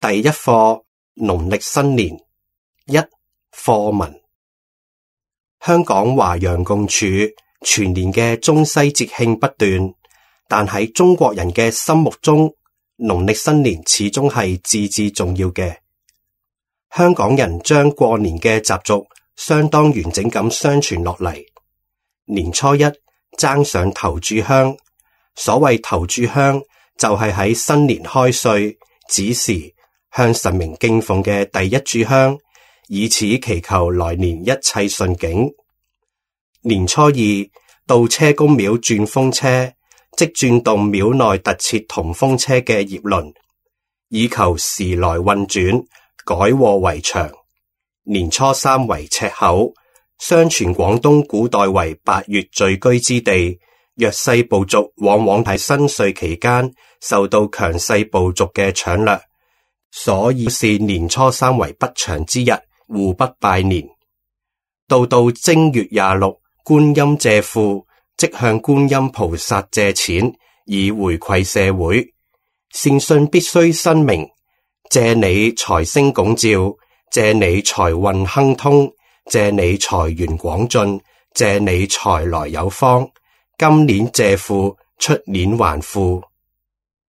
第一課農曆新年一課文。香港華洋共處，全年嘅中西節慶不斷，但喺中國人嘅心目中，農曆新年始終係至至重要嘅。香港人將過年嘅習俗相當完整咁相傳落嚟。年初一爭上頭炷香，所謂頭炷香就係喺新年開歲子時向神明敬奉嘅第一炷香，以此祈求來年一切順景。年初二到車公廟轉風車，即轉動廟內特設銅風車嘅葉輪，以求時來運轉，改禍為長。年初三為赤口，相傳廣東古代為8月聚居之地，弱勢部族往往喺新歲期間受到強勢部族嘅搶掠，所以視年初三為不祥之日，互不拜年。到正月26，觀音借庫，即向觀音菩薩借錢，以回饋社會。善信必須申明，借你財星拱照，借你財運亨通，借你財源廣進，借你財來有方。今年借庫，出年還富。